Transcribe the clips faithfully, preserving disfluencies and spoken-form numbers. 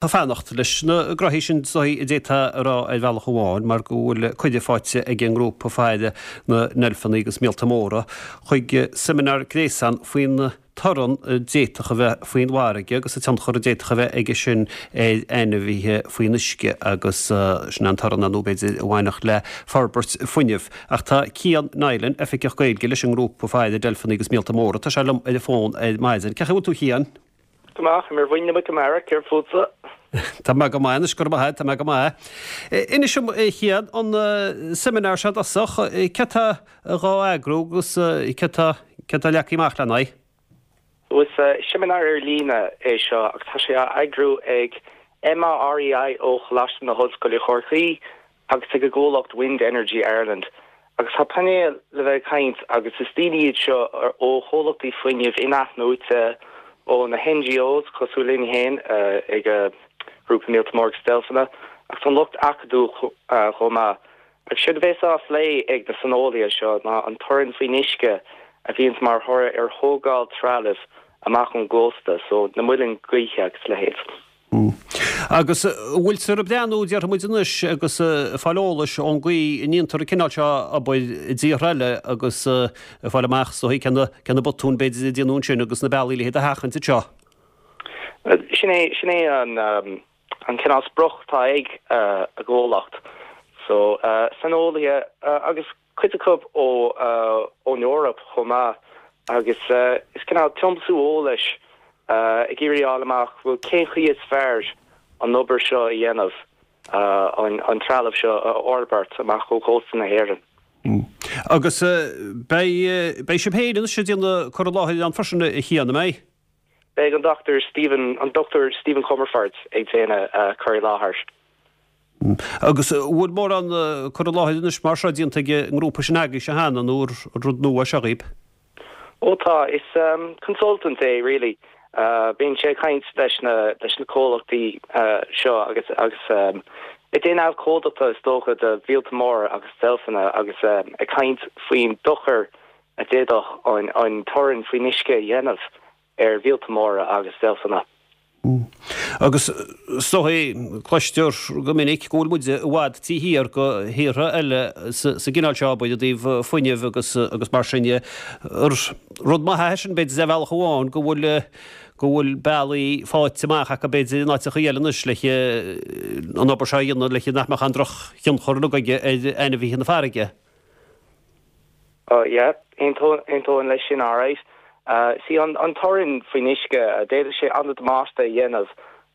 Tá fanacht leis na graithí sin a d'fhéadfá a rá ar bhealach amháin mar go bhfuil cuireadh faighte ag an ngrúpa faire na ndeilfeanna agus míolta móra chuig seimineár gréasáin faoin torann a d'fhéadfadh a bheith faoin bhfarraige agus an tionchar a d'fhéadfadh a bheith aige sin ar ainmhithe faoin uisce agus sin an torann nó b'fhéidir a bhainfeadh le forbairt fuinnimh. Ach tá Cian Nilan, oifigeach Gaeilge leis an ngrúpa faire deilfeanna agus míolta móra, tá sé liom ar an bhfón ar maidin. Cén chaoi a bhfuil tú Cian? Go maith, mar bhain go mar céir fútsa. Tá mé go maith gur maith tá mé go maith. Inis dom a Chian an seimineár seo dosach cé atá dhá eagrú agus cé atá leagtha amach lena aghaidh. Is seimineár ar líne é seo agus tá sé á eagrú ag MAREI ó Choláiste na hOllscoile Chorcaí agus ag an gcomhlacht Wind Energy Ireland. Agus tá painéal le bheith caint agus is daoine iad seo ó chomhlachtaí fuinnimh inathnuaite ó na NGOs cosúil linn féin ag grúpa míolta móra agus deilfeanna agus an lucht acadúil chomh maith. Agus séard a bheas á phlé ag na saineolaithe seo ná an torann faoin uisce a bhíonns mar thoradh ar thógáil trealamh amach ón gcósta, so na muilinn gaoithe agus a leithéid. Agus bhfuiltear ag breathnú déarfaidh muid anois agus fáil eolais ón gcaoi a ndéantar an cineál seo obair i dtíortha eile agus fáil amach so cé na botúin b'fhéidir a déanadh ansin agus na bealaí le hiad a sheachaint anseo. Sin é sin é an um, an cineál sprioc atá ag uh, a gcomhlacht. So uh, saineolaithe uh, agus cuid acu ó uh, ón Eoraip chomh maith agus uh, is cineál tiomsú eolais uh, ag iarraidh fháil amach bhfuil cén chaoi is fearr an obair seo a dhéanamh uh, an, an trealamh seo a fhorbairt amach ó chósta na hÉireann. Mm. Agus beidh beidh sibh féin anois ag déanamh cur i láthair ann freisin a Chian mé? Beidh an Dr. Stephen an Dr. Stephen Comerford ag déanamh uh, cur i láthair. Agus bhfuil mórán cur i láthair anois mar seo déanta ag an ngrúpa sin agaibhse cheana nó rud nua seo dhaoibh. Ó tá is um, consultant é really. Uh, bíonn sé caint leis na leis na comhlachtaí uh, seo agus agus um, ag déanamh abhcóideachta is dócha do mhíolta móra agus deilfeanna agus um, ag caint faoin dochar a d'fhéadfadh an, an torann faoin uisce a dhéanamh ar mhíolta móra agus deilfeanna. Agus so cloistear go minic go bhfuil muid i bhfad taobh thiar de thíortha eile sa gcineál seo i dtaobh fuinnimh agus agus mar sin rud maith sin b'fhéidir ar bhealach amháin go bhfuil go bhfuil bealaí faighte amach acu b'fhéidir in áiteacha eile anois le an obair seo a dhéanamh le nach mbeadh an drochthionchar aige ar ainmhithe na farraige. Oh yeah, aontaím leis sin alright. Uh, sí an, an torann faoin uisce d'fhéadfadh sé an-damáiste a dhéanamh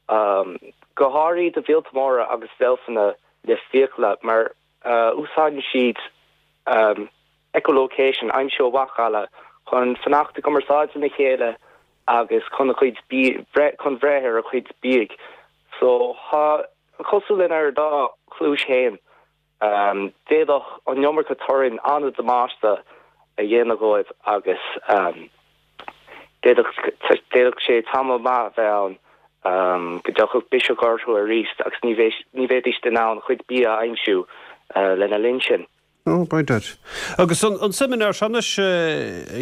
um, go háirithe do mhíolta móra agus deilfeanna le fiacla mar uh, úsáideann siad um, echolocation aimsiú mhacalla chun fanacht i gcumarsáid lena chéile agus chun a chuid chun breith ar a chuid bídh. So ha cosúil lenár dá chluais féin um, d'fhéadfadh an iomarca torainn an-damáiste a dhéanamh dóibh agus um, d'fhéadfadh sé tamall maith bheith um, go dtiocfadh biseach orthu arís agus ní ní bheidís in ann a gcuid bia a aimsiú uh, lena linn sin. Oh, b'fhéidir. Agus an, an seimineár seo anois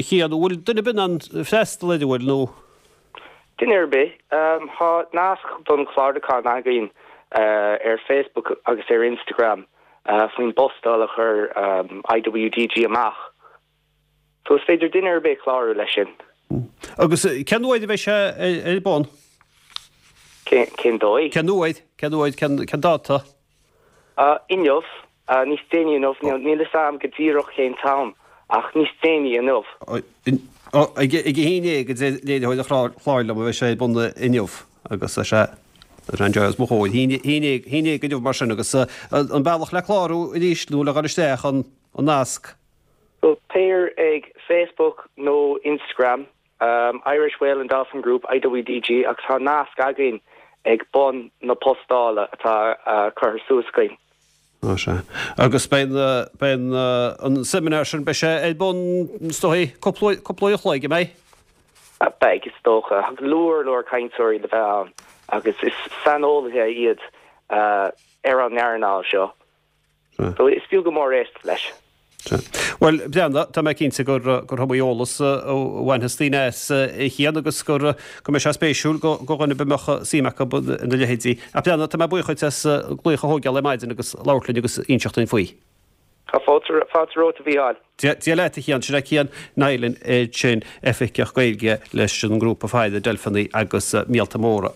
Cian bhfuil duine ar bith in ann freastal air bhfuil nó? Duine ar bith um, tá nasc don chlárúchán againn uh, ar Facebook agus ar Instagram uh, faoin bpostáil a chuir um, IWDG amach. So is féidir duine ar bith clárú leis sin. Agus cén uair a bheidh sé ar bun? Cén dóigh? Cén uair, cén uair, cén dáta? Uh, inniu, uh, níos déanaí inniu, níl a fhios agam go díreach cén t-am, ach níos déanaí inniu. Ag a haon déag a deir léiritheoir an chláir liom a bheidh sé ar bun inniu agus sé an joy mo chóir. Haon déag inniu mar sin agus an bealach le clárú arís nó le dhul isteach an nasc. So téir ag Facebook nó Instagram, um, Irish Whale and Dolphin Group IWDG agus tá nasc againn ag bun na postála atá uh, curtha suas againn. Ó sé. Agus beidh beidh an seimineár sin beidh sé ar bun is dóigh cúpla uair a chloig an mbeidh? Beidh is dócha go leor leor cainteoirí le bheith ann agus is saineolaithe iad uh, ar an earnáil seo. So is fiú go mór éisteacht leis. Bhuel Breandán, tá mé cinnte gur gur iomaí eolas a bhainfeas daoine as a Chian agus gur go mbeidh sé spéisiúil go go dhuine a mbeadh suim acu ina leithéidí. A Breandán tá mé buíoch duit as glaoch a thógáil ar maidin agus labhairt linn agus inseacht dúinn faoi. Tá fáilte romhat a Mhícheáil. Dia leat a Chian sin é Cian Niland sin oifigeach Gaeilge leis an ngrúpa faire deilfeanna agus míolta móra.